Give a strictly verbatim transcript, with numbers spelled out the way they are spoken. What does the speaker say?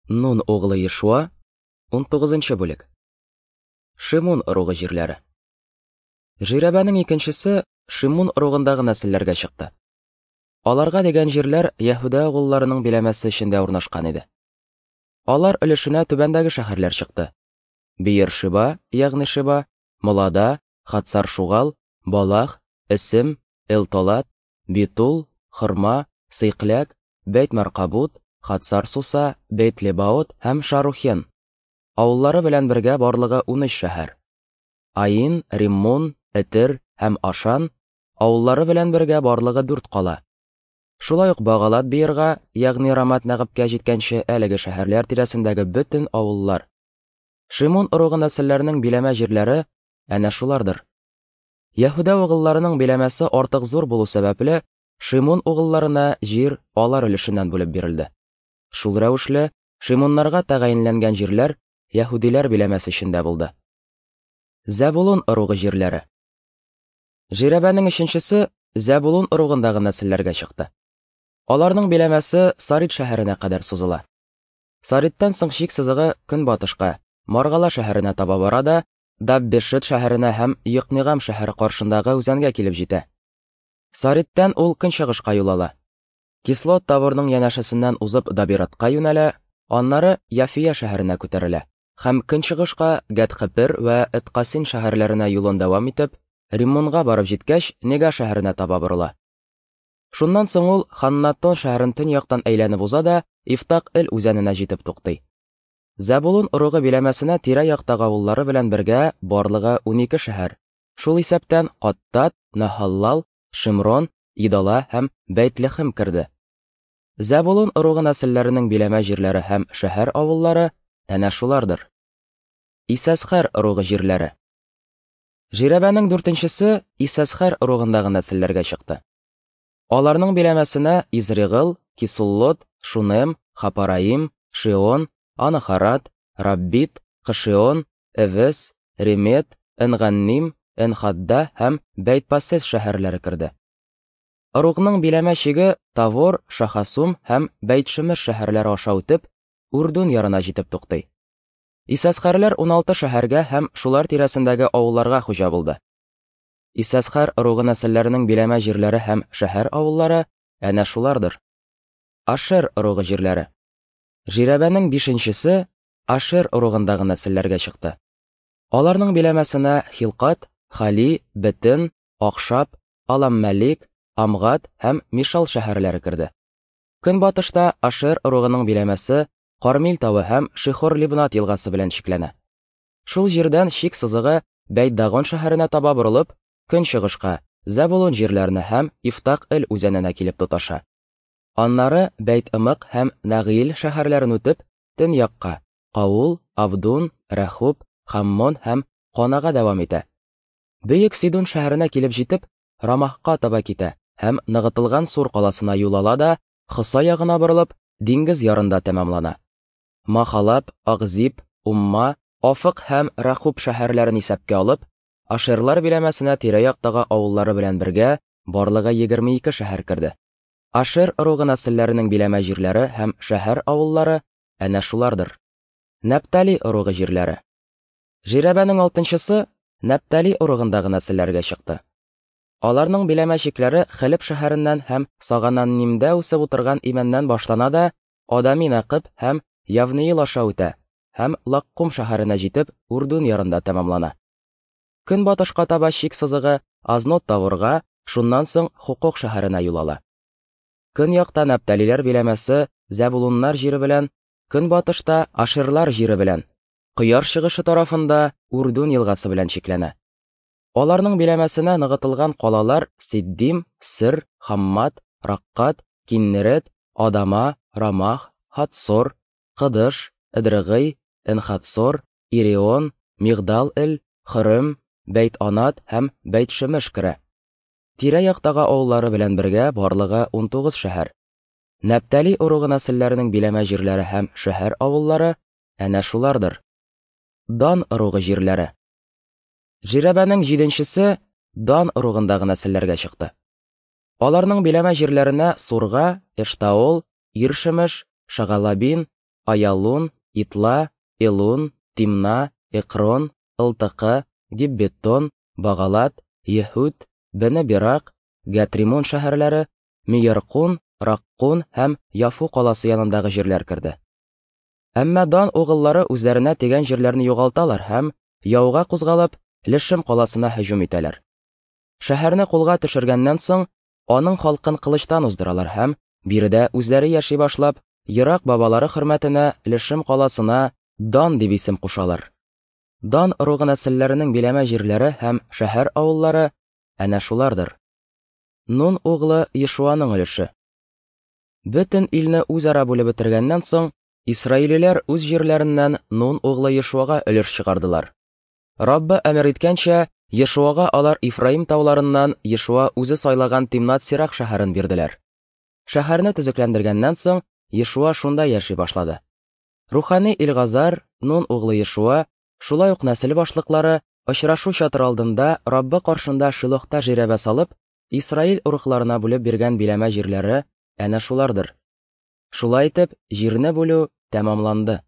Нун углы Ешуа, унтугызынчы бүлек. Шимун ыругы җирләре. Жирәбәнең икенчесе Шимун ыругындагы нәселләргә чыкты. Аларга дигән җирләр Яһүдә угылларының биләмәсе эчендә урнашкан иде. Алар өлешенә түбәндәге шәһәрләр чыкты: Биер-Шиба, ягъни Шиба, Молада, Хатсар-Шугал, Балах, Эсем, Элтолад, Битул, Хырма, Сыйкләк, Бәйт-Маркабут, Хатсар-Суса, Бәйт-Лебаот һәм Шарухен. Авыллары белән бергә барлыгы унөч шәһәр. Аин, Риммун, Этер һәм Ашан авыллары белән бергә барлыгы дүрт кала. Шулай ук Багалат Биерга, ягъни Рамат Нәгыбкә җиткәнче әлеге шәһәрләр тирәсендәге бөтен авыллар. Шимун ыругы нәселләренең биләмә җирләре әнә шулардыр. Яһүдә угылларының биләмәсе артык зур булу сәбәпле, Шимун угылларына җир алар өлешеннән бүлеп бирелде. Шул рәвешле Шимуннарга тәгаенләнгән җирләр яһүдиләр биләмәсе эчендә булды. Зәбулун ыругы җирләре. Жирәбәнең өченчесе Зәбулун ыругындагы нәселләргә чыкты. Аларның биләмәсе Сарит шәһәренә кадәр сузыла. Сариттан соң чик сызыгы көнбатышка, Маргала шәһәренә таба бара да, Даббешет шәһәренә һәм Йокнигам шәһәре каршындагы үзәнгә килеп җитә. Сариттән ул көнчыгышка юл ала. Кислот Таворның янәшәсеннән узып Дабиратка юнәлә, аннары Яфия шәһәренә күтәрелә һәм көнчыгышка Гәтхепер вә Эткасин шәһәрләренә юлын дәвам итеп, Риммунга барып җиткәч, Нега шәһәренә таба борыла. Шуннан соң ул Ханнатон шәһәрен төньяктан әйләнеп уза да, Ифтак-Эл үзәненә җитеп туктый. Зәбулун ыругы биләмәсенә тирә-яктагы авыллары белән бергә барлыгы унике шәһәр, шул исәптән Каттат, Нахаллал, Шимрон, Идала һәм Бәйтлехем керде. Зәбулун ыругы нәселләренең биләмә җирләре һәм шәһәр авыллары әнә шулардыр. Исәсхәр ыругы җирләре. Жирәбәнең дүртенчесе Исәсхәр ыругындагы нәселләргә чыкты. Аларның биләмәсенә Изригыл, Кисуллот, Шунем, Хапараим, Шион, Анахарат, Раббит, Кышион, Эвес, Ремет, Энганним, Энхадда һәм Бәйтпасес шәһәрләре керде. Ыругның биләмә чиге Тавор, Шахасум һәм Бәйтшемеш шәһәрләре аша үтеп, Урдун ярына җитеп туктый. Исәсхәрләр уналты шәһәргә һәм шулар тирәсендәге авылларга хуҗа булды. Исәсхәр ыругы нәселләренең биләмә җирләре һәм шәһәр авыллары әнә шулардыр. Ашер ыругы җирләре. Жирәбәнең бишенчесе Ашер ыругындагы нәселләргә чыкты. Аларның биләмәсенә Хилкат, Хали, Бетен, Акшап, Аламмәлик, Амгат һәм Мишал шәһәрләре керде. Көнбатышта Ашер ыругының биләмәсе Кармил тавы һәм Шихор-Либнат елгасы белән чикләнә. Шул җирдән чик сызыгы Бәйт-Дагон шәһәренә таба борылып, көнчыгышка, Зәбулун җирләренә һәм Ифтак-Эл үзәненә килеп тоташа. Аннары Бәйт-Ымык һәм Нагыйл шәһәрләрен үтеп, төньякка, Каул, Абдун, Рәхуб, Хаммон һәм Канага дәвам итә. Бөек Сидун шәһәренә килеп җитеп, Рамахка таба китә һәм ныгытылган Сур каласына юл ала да, Хоса ягына борылып, диңгез ярында тәмамлана. Махалаб, Агзиб, Умма, Афык һәм Рахуб шәһәрләрен исәпкә алып, Ашерлар биләмәсенә тирә-яктагы авыллары белән бергә барлыгы егерме ике шәһәр керде. Ашер ыругы нәселләренең биләмә җирләре һәм шәһәр авыллары әнә шулардыр. Нәптали ыругы җирләре. Жирәбәнең алтынчысы Нәптали ыругындагы нәселләргә чыкты. Аларның биләмә чикләре Хелеп шәһәреннән һәм Сагананнимдә үсеп утырган имәннән башлана да, Адами Нәкыб һәм Явниил аша үтә һәм Лаккум шәһәренә җитеп, Урдун ярында тәмамлана. Көнбатышка таба чик сызыгы Азнот Таворга, шуннан соң Хукок шәһәренә юл ала. Көньякта Нәпталиләр биләмәсе Зәбулуннар җире белән, көнбатышта Ашерлар җире белән, кояш чыгышы тарафында Урдун елгасы белән чикләнә. Аларның биләмәсенә ныгытылган калалар Сиддим, Сыр, Хаммат, Раккат, Киннерет, Адама, Рамах, Хатсор, Кыдыш, Эдрыгый, Энхатсор, Ирион, Мигдал-Эл, Хырым, Бәйт-Анат һәм Бәйт-Шемеш керә. Тирә-яктагы авыллары белән бергә барлыгы унтугыз шәһәр. Нәптали ыругы нәселләренең биләмә җирләре һәм шәһәр авыллары әнә шулардыр. Дан ыругы җирләре. Жирәбәнең җиденчесе Дан ыругындагы нәселләргә чыкты. Аларның биләмә җирләренә Сурга, Эштаол, Иршемеш, Шагалабин, Аялун, Итла, Элун, Тимна, Экрон, Ылтыкы, Гиббетон, Багалат, Ехуд, Бене-Берак, Гатримон шәһәрләре, Мияркун, Раккун һәм Яфу каласы янындагы җирләр керде. Әмма Дан угыллары үзләренә тигән җирләрне югалталар һәм, яуга кузгалып, Лешем каласына һөҗүм итәләр. Шәһәрне кулга төшергәннән соң, аның халкын кылычтан уздыралар һәм, биредә үзләре яши башлап, ерак бабалары хөрмәтенә Лешем каласына Дан дип исем кушалар. Дан ыругы нәселләренең биләмә җирләре һәм шәһәр авыллары әнә шулардыр. Нун углы Ешуаның өлеше. Бөтен илне үзара бүлеп бетергәннән соң, исраилиләр үз җирләреннән Нун углы Ешуага өлеш чыгардылар. Раббы әмер иткәнчә, Ешуага алар Ифраим тауларыннан Ешуа үзе сайлаган Тимнат-Сирах шәһәрен бирделәр. Шәһәрне төзекләндергәннән соң, Ешуа шунда яши башлады. Рухани Илгазар, Нун углы Ешуа, шулай ук нәсел башлыклары очрашу чатыры алдында Раббы каршында Шилохта жирәбә салып, Исраил ыругларына бүлеп биргән биләмә җирләре әнә шулардыр. Шулай итеп, җирне бүлү тәмамланды.